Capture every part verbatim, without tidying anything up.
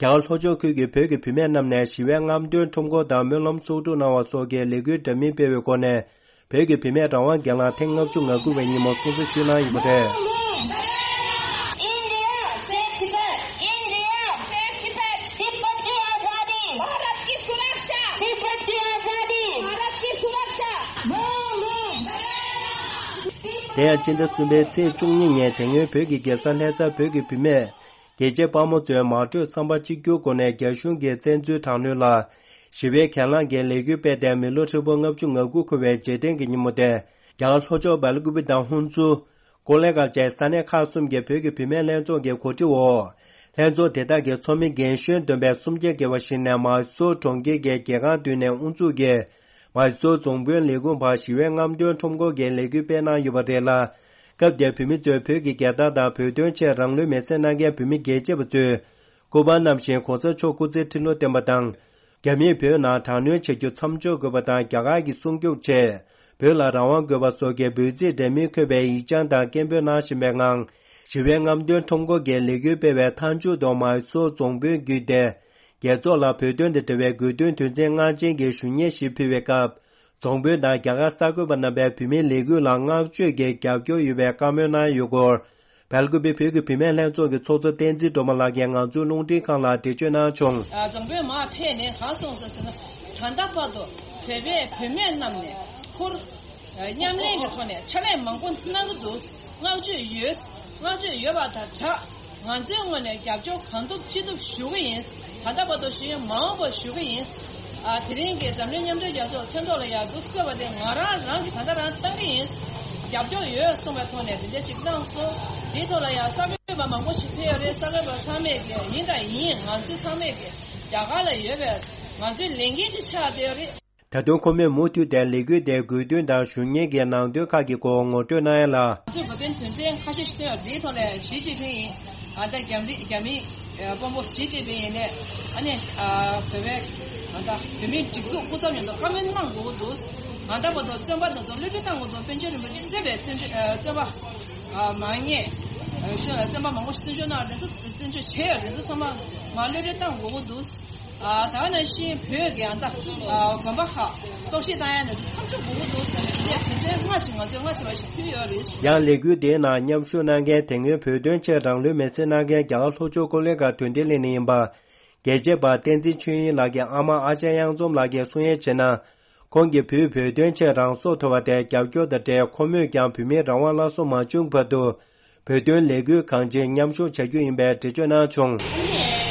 རྒྱ་གར་ལྷོ་ཕྱོགས་ཁུལ་གྱི་བོད་ཀྱི་བུད་མེད་རྣམས་ནས་ཞི་བའི་རྔམ་སྟོན་ཁྲོམ་སྐོར་དང་སྨོན་ལམ་ཚོགས་སྒྲུབ་གནང་བ་སོགས་ཀྱི་ལས་འགུལ་འདྲ་མིན་སྤེལ་བའི་སྒོ་ནས། བོད་ཀྱི་བུད་མེད་རང་དབང་སྒེར་ལངས་ཐེངས་ལྔ་བཅུ་ང་དགུ་པའི་ཉིན་མོ་སྲུང་བརྩི་ཞུས་གནང་ཡོད་པ་རེད། India, save Tibet. India, save Tibet. Tibet की आजादी। भारत की सुरक्षा। तिब्बत की आजादी। भारत की सुरक्षा। དེ་ཡང་སྤྱི་ཟླ་གསུམ་པའི་ཚེས་བཅུ་གཉིས་ཉིན་དེ་སྔོན་བོད་ཀྱི་རྒྱལ་ས་ལྷ་སར་བོད་ཀྱི་བུད་མེད་རྒྱལ་གཅེས་དཔའ་མོ་ཚོས་མ་གྲོས་བསམ་པ་གཅིག་གྱུར་སྒོ་ནས་རྒྱ་གཞུང་གིས་བཙན་འཛུལ་དྲག་གནོན་ལ་ཞི་བའི་གྱེན་ལངས་ཀྱི་ལས་འགུལ་སྤེལ་ཏེ་མི་ལོ་ཧྲིལ་པོ་ལྔ་བཅུ་ང་དགུ་འཁོར་བའི་རྗེས་དྲན་གྱི་ཉིན་མོ་དེ། རྒྱ་གར་ལྷོ་ཕྱོགས་སྦེལ་ཀུ་པེ་དང་ཧུན་སུར། ཀོ་ལེ་གྷལ་བཅས་ས་གནས་ཁག་གསུམ་གྱི་བོད་ཀྱི་བུད་མེད་ལྷན་ཚོགས་ཀྱི་གོ་སྒྲིག་འོག་ལྷན་ཚོགས་དེ་དག་གི་ཚོགས་མི་རྒན་གཞོན་བསྡོམས་པས་སུམ་བརྒྱ་བརྒལ་བ་ཞིག་ནས་མཱི་སོར་གྲོང་ཁྱེར་གྱི་རྒྱལ་ཁང་མདུན་ནས་དབུ་འཛུགས་ཀྱིས། མཱི་སོར་རྫོང་དཔོན་ལས་ཁུངས་བར་ཞི་བའི་རྔམ་སྟོན་ཁྲོམ་སྐོར་གྱི་ལས་འགུལ་སྤེལ་གནང་ཡོད་པ་རེད་ལ། སྐབས་དེར་བོད་མི་ཚོས་བོད་ཀྱི་རྒྱལ་དར་དང་བོད་དོན་ཆེད་རང་ལུས་མེར་སྲེག་གནང་མཁན་བོད་མི་རྒྱལ་གཅེས་པ་ཚོས་སྐུ་པར་བསྣམས་ཤིང་གོང་ས་མཆོག་སྐུ་ཚེ་ཁྲི་ལོ་བརྟན་པ་དང་། རྒྱ་མིས་བོད་ནང་དྲག་གནོན་བྱ་རྒྱུ་མཚམས་འཇོག་དགོས་པ་དང་། རྒྱ་གར་གྱི་སྲུང་སྐྱོབ་ཆེད་བོད་ལ་རང་དབང་དགོས་པ་སོགས་ཀྱི་འབོད་ཚིག་འདྲ་མིན་འཁོད་པའི་ཡིག་བྱང་དང་སྐད་འབོད་གནང་བཞིན་པའི་ངང་། ཞི་བའི་རྔམ་སྟོན་ཁྲོམ་སྐོར་གྱི་ལས་འགུལ་སྤེལ་བའི་མཐའ་མཇུག་ཏུ་མཱི་སོར་རྫོང་དཔོན་བརྒྱུད་དེ། རྒྱལ་ཚོགས་ལ་བོད་དོན་དང་འབྲེལ་བའི་དགོས་འདུན་དོན་ཚན་ལྔ་ཅན་གྱི་ཞུ་སྙན་ཞིག་ཕུལ་བའི་སྐབས། རྫོང་དཔོན་དང་རྒྱ་གར་གསར་འགོད་པ་རྣམ་པས་བོད་མིའི་ལས་འགུལ་ལ་བསྔགས་བརྗོད་ཀྱི་རྒྱབ་སྐྱོར་ཡོད་པའི་བཀའ་མོལ་གནང་ཡོད་སྐོར། སྦེལ་ཀུ་པེ་བོད་ཀྱི་བུད་མེད་ལྷན་ཚོགས་ཀྱི་ཚོགས་གཙོ་བསྟན་འཛིན་སྒྲོལ་མ་ལགས་ཀྱིས་ང་ཚོའི་རླུང་འཕྲིན་ཁང་ལ་འགྲེལ་བརྗོད་གནང་བྱུང་། རྫོང་དཔོན་མར་ཕེབས་ནས་གང་གསུངས་སོང་ཟེར་ན། ད་ལྟ་བར་དུ་བོད་པའི་བུད་མེད་རྣམས་ནས་ཁུར། མཉམ་ལེན་གྱི་ཐོག་ནས་ཕྱག་ལས་མང་པོ་གནང་གི་འདུག་བསྔགས་བརྗོད་ཡོད། བསྔགས་བརྗོད་ཡོད་པ་དང་སྦྲགས། ང་ཚོའི་ངོས་ནས་རྒྱབ་སྐྱོར་གང་ཐུབ་ཅི་ཐུབ་ཞུ་གི་ཡིན། ད་ལྟ་བར་དུ་ཞུ་ཡིན། མ་འོངས་པར་ཞུ་གི་ཡིན། ཨ། དེ་རིང་གི་འཛམ་གླིང་མཉམ་འབྲེལ་རྒྱལ་ཚོགས་མཚན་ཐོག་ལ་ཡར་འདུག་བསྐོས་པ་དེ་ང་རང་རང་གིས་ད་ལྟ་རང་བཏང་གི་ཡིན། རྒྱབ་སྐྱོར་ཡོད་གསུངས་པའི་ཐོག་ནས་དེ་འདྲ་ཞིག་གནང་སོང་། དེའི་ཐོག་ལ་ཡང་གསར་འགོད་པ་མང་པོ་ཞིག་ཕེབས་ཡོད་རེད། གསར་འགོད་པ་ཚང་མས་ཀྱི་ཡིན་དང་ཡིན། ང་ཚོ་ཚང་མས་ཀྱི་རྒྱ་གར་ལ་ཡོད་པའི་ང་ཚོའི་ལས་འགན་ཅིག་ཆགས་བསྡད་ཡོད་རེད། ད་དུང་ཁོ་མོས་མུ་མཐུད་དེ་ལས་འགུལ་དེའི་དགོས་འདུན་དང་ཞུ་སྙན་གྱི་ནང་དོན་ཁག་གི་སྐོར་ངོ་སྤྲོད་གནང་ཡ་ལ། ང་ཚོས་དགོས་འདུན་དོན་ཚན་ཁ་ཤས་ཤིག་བཏོན་ཡོད། དེའི་ཐོག་ནས་ཞི་ཅིན་ཕིང་ཡིན། ཨ། ད་རྒྱ་མི་རྒྱ་མི་དཔོན་པོ་ཞི་ཅིན་ཕིང་ཡིན་ནས། ཨ་ནི། ཨ། བོད་པའི། ཨ། ད་བོད་མིའི་སྒྲིག་འཛུགས་སྐུ་ཚབ་མཉམ་དུ་བཀའ་མོལ་གནང་དགོས་ཀྱི་འདུག་ང་ད་བར་དུ་བཙོན་པ་དེ་ཚོ་གློད་གྲོལ་བཏང་དགོས་འདུག་པཎ་ཆེན་རིན་པོ་ཆེ་གཙོས་པའི་བཙོན་བཙོན་པ། ཨ། མ་ངེས། བཙོན་བཙོན་པ་མང་པོ་ཞིག་བཙོན་འཇུག་གནང་བ་དེ་ཚོ་བཙོན་འཇུག་བྱས་ཡོད། དེ་ཚོ་ཚང་མ་མ་གློད་གྲོལ་བཏང་དགོས་ཀྱི་འདུག་ཨ། ད་ག་ནང་བཞིན་བོད་ཀྱི་ཨ་ད་ཨ་དགོན་པ་ཁག་གཏོར་བཤིག་བཏང་ཡ་ནས་མཚམས་འཇོག་དགོས་ཀྱི་འདུག་ཟེར་ནས་དེ་འདྲའི་དོན་ཚན་ལྔ་ཞིག་ང་ཚོས་སྔ་ཕྱི་བར་ཞིག་ཕུལ་ཡོད་རེད། ཡང་ལས་འགུལ་དེའི་ནང་མཉམ་ཞུགས་གནང་མཁན་དེ་སྔོན་བོད་དོན་ཆེད་རང་ལུས་མེར་སྲེག་གནང་མཁན་རྒྱ་གར་ལྷོ་ཕྱོགས་ཀོ་ལི་གྷལ་དོན་ལྡན་གླིང་ནས་ཡིན་པ། རྒྱལ་གཅེས་པ་བསྟན་འཛིན་ཆོས་དབྱིངས་ལགས་ཀྱི་ཨ་མ་ཨ་ཅག་གཡང་འཛོམས་ལགས་ཀྱིས་གསུང་ཡས་བྱས་ན། ཁོང་གི་བུས་བོད་དོན་ཆེད་རང་སྲོག་དོར་བ་དེ་རྒྱབ་སྐྱོར་དང་འབྲེལ། ཁོ་མོས་ཀྱང་བོད་མིའི་རང་དབང་སླར་གསོ་མ་བྱུང་བར་དུ། བོད་དོན་ལས་འགུལ་གང་ཅིར་མཉམ་ཞུགས་བྱ་རྒྱུ་ཡིན་པའི་འགྲེལ་བརྗོད་གནང་བྱུང་།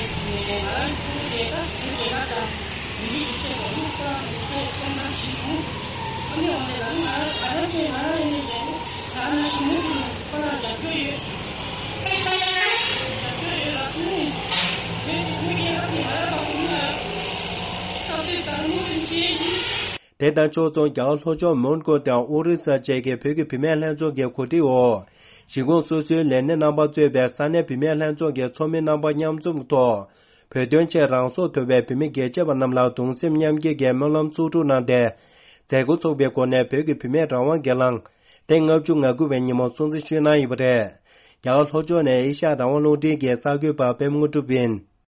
དེ་དང་ཕྱོགས་མཚུངས། རྒྱ་གར་ལྷོ་ཕྱོགས་མོན་གྷོ་དང་ཨོ་རི་ས་བཅས་ཀྱི་བོད་ཀྱི་བུད་མེད་ལྷན་ཚོགས་ཀྱི་གོ་སྒྲིག་འོག་གཞིས་ཁོངས་སོ་སོའི་ལས་སྣེ་རྣམ་པ་གཙོས་པའི་ས་གནས་བུད་མེད་ལྷན་ཚོགས་ཀྱི་ཚོགས་མི་རྣམ་པ་མཉམ་འཛོམས་ཐོག་བོད་དོན་ཆེད་རང་སྲོག་དོར་བའི་བོད་མི་རྒྱལ་གཅེས་པ་རྣམས་ལ་གདུང་སེམས་མཉམ་སྐྱེད་ཀྱི་སྨོན་ལམ་ཚོགས་སྒྲུབ་གནང་སྟེ། མཛད་སྒོ་ཚོགས་པའི་སྒོ་ནས་བོད་ཀྱི་བུད་མེད་རང་དབང་སྒེར་ལངས་ཐེངས་ལྔ་བཅུ་ང་དགུ་པའི་ཉིན་མོ་སྲུང་བརྩི་ཞུས་གནང་ཡོད་པ་རེད། རྒྱ་གར་ལྷོ་ཕྱོགས་ནས་ཨེ་ཤ་ཡ་རང་དབང་རླུང་འཕྲིན་གྱི་གསར་འགོད་པ་པད་མ་དངོས་གྲུབ་ཡིན།